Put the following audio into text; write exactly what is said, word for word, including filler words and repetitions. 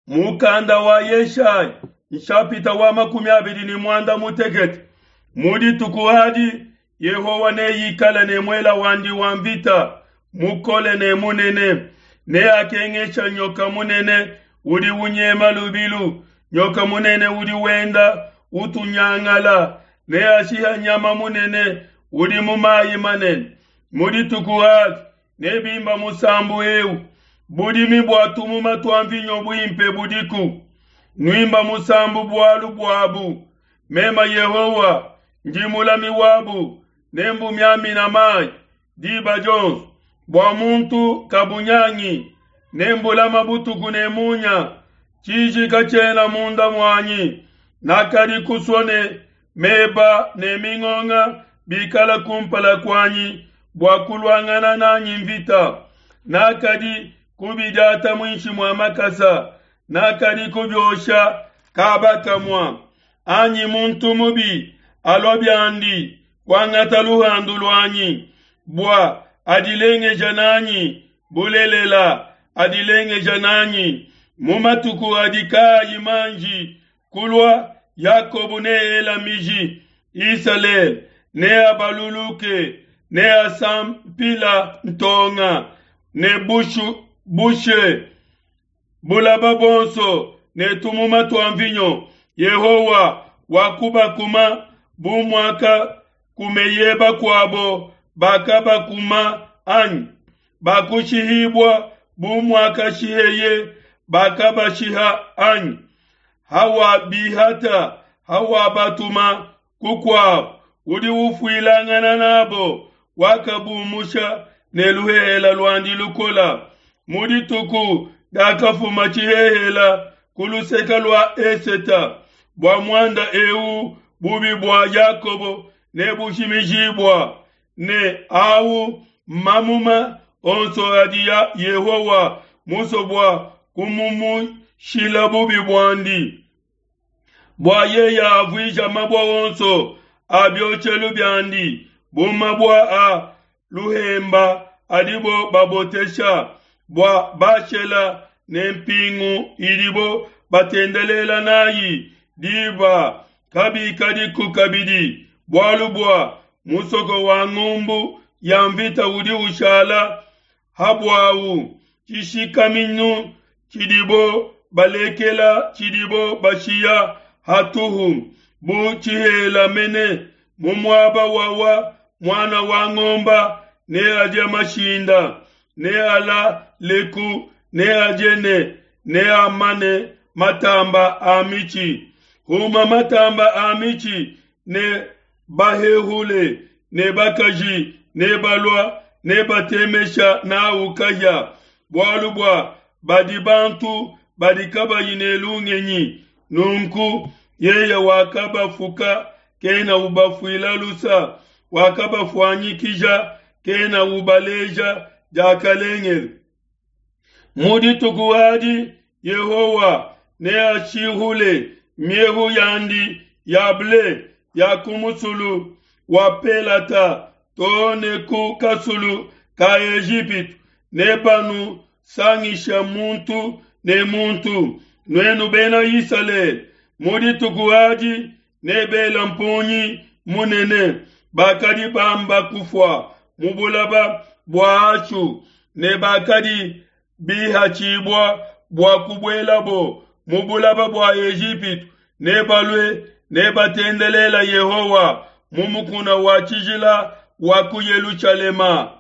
Mukanda wa Yeshaya nshapita wa makumi abidi ne muanda mutekete. Mu dituku adi Yehowa neikale ne muela wandi wa mvita mukole ne munene, neakengesha nyoka munene udi unyema lubilu, nyoka munene udi wenda utunyangala, neashiha nyama munene udi mu mayi manene. Mu dituku adi nebimba musambu eu, budimi bua tumuma tua mvinyo buimpe budiku, nuimba musambu bualu buabu. Mema Yehowa ndi mulami wabu, nembumiamina mayi diba dionso, bua muntu kabunyangi, nembulama butuku ne munya. Tshiji katshiena munda muanyi, nakadi kusua ne meba ne mingonga bikala kumpala kuanyi bua kuluangana nanyi mvita. Nakadi kubidiata muinshi mua makasa, nakadi kubiosha kaba kamua. Anyi muntu mubi alua biandi kuangata luhandu luanyi, bua adilengeja nanyi, bulelela adilengeja nanyi. Mu matuku adi kaayi manji kulua, Yakobo neela miji, Isalele neabaluluke, neasampila ntonga ne bushu, bushe bulaba bonso ne tumuma tua mvinyo. Yehowa wakubakuma bu muakakumeye bakuabo bakabakuma anyi? Bakushihibua bu muakashiheye bakabashiha anyi? Hawabihata, hawabatuma kukuabo, udi ufuilangana nabo, wakabumusha ne luhehela luandi lukola. Mu dituku diakafuma tshihehela ku luseke lua eseta, bua muanda eu bubi bua Yakobo nebushimijibua, ne au mamuma onso adi ya Yehowa musue bua kumumushila bubi buandi, bua yeye avuija mabue onso a bioshelu biandi bu mabue a luhemba adibo babotesha, bua Bashela ne mpingu idibo batendelela nayi diba kabikadiku kabidi, bualu bua musoko wa ngumbu ya mvita udi ushala habuawu, tshishikaminu tshidibo balekela tshidibo bashiya hatuhu, bu tshihela mene mu muaba wawa muana wa ngomba neadie mashinda, nealaleku, neadie ne neamane matamba a mitshi. Huma matamba a mitshi ne bahehule ne bakaji ne balua ne batemesha nawu kahia, bualu bua badi bantu badi kabayi ne lungenyi. Nunku yeye wakabafuka kena ubafuila lusa, wakabafuanyikija kena ubaleja diakalengele. Mu dituku adi Yehowa neashihule miehu yandi ya ble ya ku musulu wa Pelata too ne ku kasulu ka Ejipitu, nebanusangisha muntu ne muntu, nuenu bena Isalele. Mu dituku adi nebela mpungi munene, bakadi bamba kufua mu bulaba bua Ashu, ne bakadi bihatshibua bua kubuelabo mu bulaba bua Ejipitu, nebalue nebatendelela Yehowa mu mukuna wa tshijila wa ku Yelushalema.